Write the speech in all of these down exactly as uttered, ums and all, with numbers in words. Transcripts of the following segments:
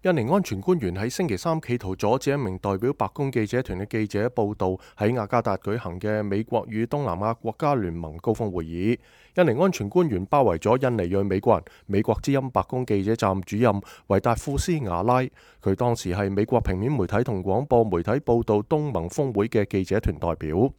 印尼安全官員喺星期三企圖阻止一名代表白宮記者團嘅記者報道喺雅加達舉行嘅美國與東南亞國家聯盟高峰會議。印尼安全官員包圍咗印尼裔美國人、美國之音白宮記者站主任維達富斯瓦拉，佢當時係美國平面媒體同廣播媒體報道東盟峰會嘅記者團代表。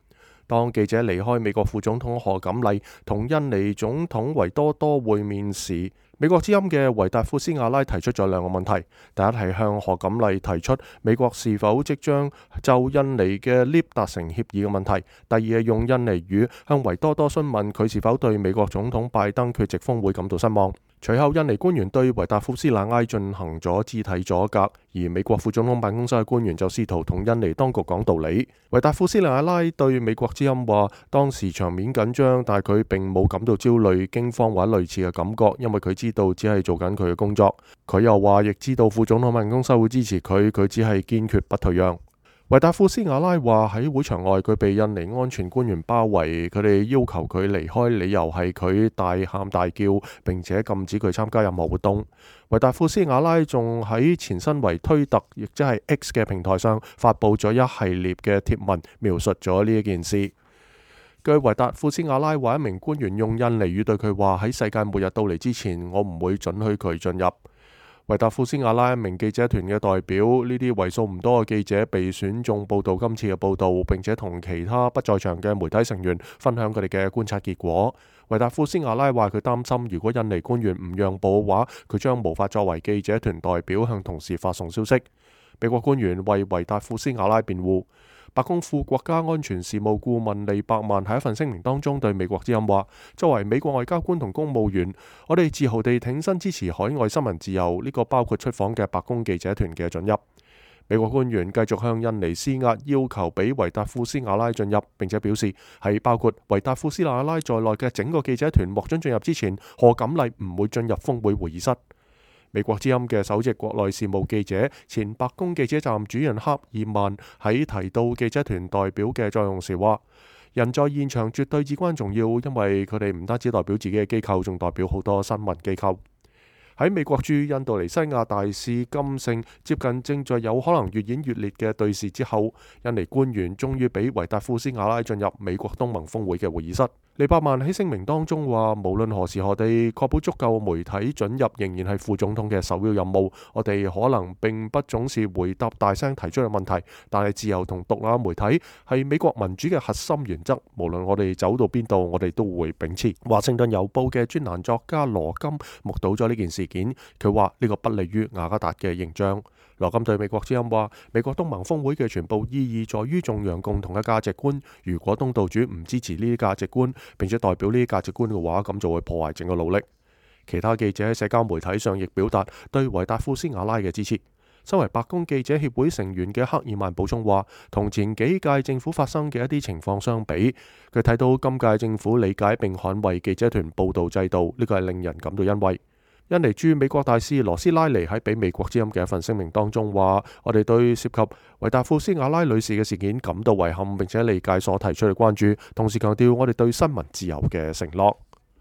當記者離開美國副總統賀錦麗同印尼總統維多多會面時，美國之音嘅維達富斯瓦拉提出咗兩個問題。第一係向賀錦麗提出美國是否即將就印尼嘅 L I P 達成協議嘅問題。第二係用印尼語向維多多詢問佢是否對美國總統拜登缺席峰會感到失望。隨後，印尼官員對維達富斯瓦拉進行咗肢體阻隔，而美國副總統辦公室嘅官員就試圖同印尼當局講道理。維達富斯瓦拉對美國之音話，當時場面緊張，但係佢並冇感到焦慮、驚慌或者類似嘅感覺，因為佢知道只係做緊佢嘅工作。佢又話，亦知道副總統辦公室會支持佢，佢只係堅決不退讓。維達富斯瓦拉話喺會場外，佢被印尼安全官員包圍，佢哋要求佢離開，理由係佢大喊大叫，並且禁止佢參加任何活動。維達富斯瓦拉仲喺前身為推特，亦即係 X 嘅平台上發佈咗一系列嘅貼文，描述咗呢一件事。據維達富斯瓦拉話，一名官員用印尼語對佢話，喺世界末日到嚟之前，我唔會准許佢進入。維達富斯瓦拉一名記者團嘅代表，呢啲為數唔多嘅記者被選中報道今次嘅報道，並且同其他不在場嘅媒體成員分享佢哋嘅觀察結果。維達富斯瓦拉話佢擔心，如果印尼官員唔讓步嘅話，佢將無法作為記者團代表向同事發送消息。美國官員為維達富斯瓦拉辯護。白宮副國家安全事務顧問利伯曼喺一份聲明當中對美國之音話，作為美國外交官同公務員，我哋自豪地挺身支持海外新聞自由，呢個包括出訪嘅白宮記者團嘅准入。美國官員繼續向印尼施壓，要求俾維達富斯瓦拉進入，並且表示喺包括維達富斯瓦拉在內嘅整個記者團獲准進入之前，賀錦麗唔會進入峰會會議室。美國之音嘅首席國內事務記者、前白宮記者站主任克爾曼喺提到記者團代表嘅作用時話，人在現場絕對至關重要，因為佢哋唔單止代表自己嘅機構，仲代表好多新聞機構。喺美國駐印度尼西亞大使金聖接近正在有可能越演越烈嘅對峙之後，印尼官員終於俾維達富斯瓦拉進入美國東盟峰會嘅會議室。利伯曼喺聲明當中話，無論何時何地，確保足夠媒體准入仍然係副總統嘅首要任務。我哋可能並不總是回答大聲提出嘅問題，但係自由同獨立媒體係美國民主嘅核心原則。無論我哋走到邊度，我哋都會秉持。華盛頓郵報嘅專欄作家羅金目睹咗呢件事件，佢話呢個不利於雅加達嘅形象。羅金對美國之音話，美國東盟峰會嘅全部意義在於頌揚共同嘅價值觀。如果東道主唔支持呢啲價值觀，並且代表呢啲價值觀嘅話，咁就會破壞整個努力。其他記者喺社交媒體上亦表達對維達富斯瓦拉嘅支持。身為白宮記者協會成員嘅克爾曼補充話，同前幾屆政府發生嘅一啲情況相比，佢睇到今屆政府理解並捍衛記者團報道制度，呢個係令人感到欣慰。印尼駐美國大使羅斯拉尼喺俾美國之音嘅一份聲明當中話，我哋對涉及維達富斯瓦拉女士嘅事件感到遺憾，並且理解所提出嘅關注，同時強調我哋對新聞自由嘅承諾。